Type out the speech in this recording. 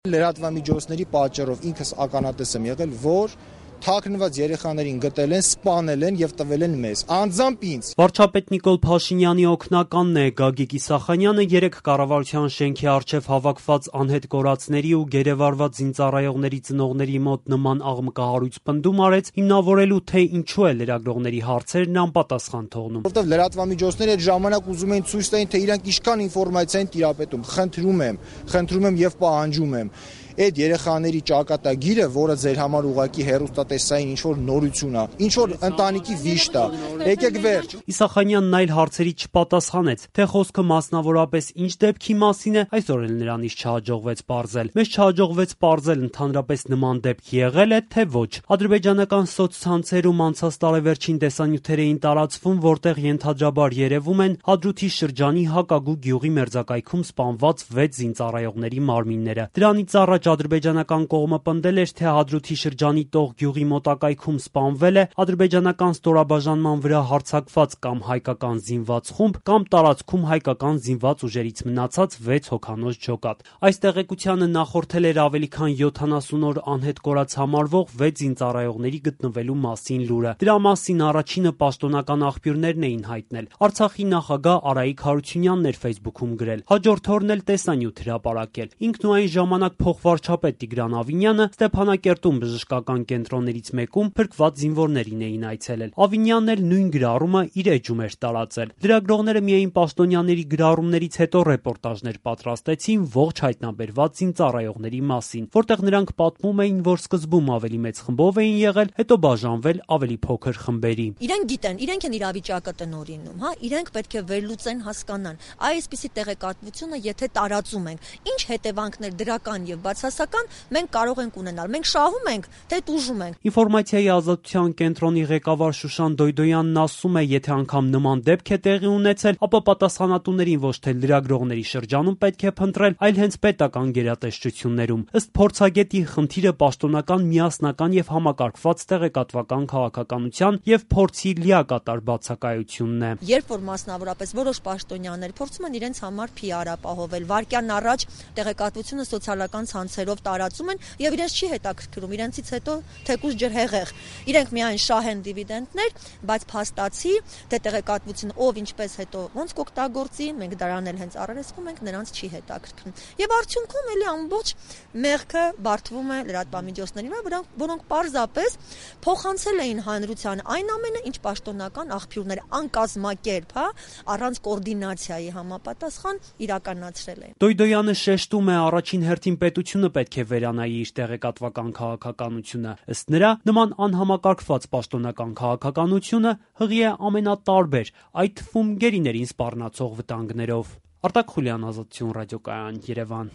Լրատվամիջոցների պատճառով ինքս ականատես եմ եղել, որ թաքնված երեխաներին գտել են, սպանել են եւ տվել են մեզ, անձամբ ինձ։ Վարչապետ Նիկոլ Փաշինյանի օգնականն է Գագիկ Իսախանյանը երեկ կառավարության շենքի առջև հավաքված անհետ կորածների ու գերեվարված զինծառայողների ծնողների մոտ նման աղմկահարույց պնդում արեց, հիմնավորելու թե ինչու է լրագրողների հարցերն անպատասխան թողնում։ Որտեւ լրատվամիջոցները այդ ժամանակ ուզում էին ցույց տային, թե իրանք ինչքան ինֆորմացիա են տիրապետում։ Խնդրում եմ եւ պահանջում եմ այդ երեխաների ճակատագիրը, որը ձեր համար ուղակի հերոստատեսային ինչ-որ նորություն է, ինչ-որ ընտանիքի վիշտ է, եկեք վերջ։ Իսախանյանն այլ հարցերի չպատասխանեց, թե խոսքը մասնավորապես ինչ դեպքի մասին է, այսօր էլ նրանից չհաջողվեց պարզել։ Մեզ չհաջողվեց պարզել ընդհանրապես նման դեպք եղել է, թե ոչ։ Ադրբեջանական սոցցանցերում անցած տարեվերջին տեսանյութեր էին տարածվում, որտեղ ենթադրաբար երևում են Հադրութի շրջանի Հակագու գյուղի մերձակայքում սպանված 6 զինծառայողների մարմինները։ Դրանից առաջ ադրբեջանական կողմը պնդել էր, թե Հադրութի շրջանի Տող գյուղի մոտակայքում սպանվել է ադրբեջանական ստորաբաժանման վրա հարձակված կամ հայկական զինված խումբ կամ տարածքում հայկական զինված ուժերից մնացած 6 հոգանոց ջոկատ։ Այս տեղեկությանը նախորդել էր ավելի քան 70 օր անհետ կորած համարվող 6 զինծառայողների գտնվելու մասին լուրը։ Դրա մասին առաջինը պաշտոնական աղբյուրներն էին հայտնել։ Արցախի նախագահ Արայիկ Հարությունյանն էր Facebook-ում գրել։ Հաջորդ օրն էլ տեսանյութ հրապարակել։ Ինքն ու այն ժամանակ փոխվարչապետ Տիգրան Ավինյանը Ստեփանակերտում բժշկական կենտրոններից մեկում փրկված զինվորներին էին այցելել։ Ավինյանն էլ նույն գրառումը իր էջում էր տարածել։ Լրագրողները միայն պաշտոնյաների գրառումներից հետո ռեպորտաժներ պատրաստեցին ողջ հայտնաբերված զինծառայողների մասին, որտեղ նրանք պատմում էին, որ սկզբում ավելի մեծ խմբով էին եղել, հետո բաժանվել ավելի փոքր խմբերի։ Իրենք գիտեն, իրենք են իրավիճակը տնօրինում, իրենք պետք է վերլուծեն, հասկանան։ Այսպիսի տեղեկատվությունը եթե տարածում ենք, ինչ հետևանքներ դրական եւ բացասական մենք կարող ենք ունենալ։ Մենք շահում ենք, թե տուժում ենք։ Ինֆորմացիայի ազատության կենտրոնի ղեկավար Շուշան Դոյդոյանն ասում է, եթե անգամ նման դեպք է տեղի ունեցել, ապա պատասխանատուներին ոչ թե լրագրողների շրջանում պետք է փնտրել, այլ հենց պետական գերատեսչություններում։ Ըստ փորձագետի, խնդիրը պաշտոնական, միասնական եւ համակարգված տեղեկատվական քաղաքականության եւ փորձի լիակատար բացակայությունն է։ Երբ որ մասնավորապես որոշ պաշտոնյաներ փորձում են իրենց համար PR ապահովել, վարկյան առաջ տեղեկատվությունը սոցիալական ցանցերով տարածում են եւ իրենց չի հետաքրքրում, իրենցից հետո թեկուզ ջրհեղեղ։ Իրենք միայն շահեն դիվիդենդներ, բայց փաստացի թե տեղեկատվությունը ով ինչպես հետո ոնց կօգտագործի, մենք դրան էլ հենց առերեսվում ենք, նրանց չի հետաքրքրում։ Եվ արդյունքում էլի ամբողջ մեղքը բարդվում է լրատվամիջոցներին, որոնք պարզապես փոխանցել էին հանրության այն ամենը, ինչ պաշտոնական աղբյուրները անկազմակերպ, առանց կոորդինացիայի համապատասխան իրականացրել են։ Դոյդոյանը շեշտում է, առաջին հերթին պետությունը պետք է վերանայի իր տեղեկատվական քաղաքականությունը։ Ըստ նրա, նման անհամակարգված պաշտոնական քաղաքականությունը հղի է ամենատարբեր, այդ թվում գերիներին սպառնացող վտանգներով։ Արտակ Խուլյան, Ազատություն ռադիոկայան, Երևան։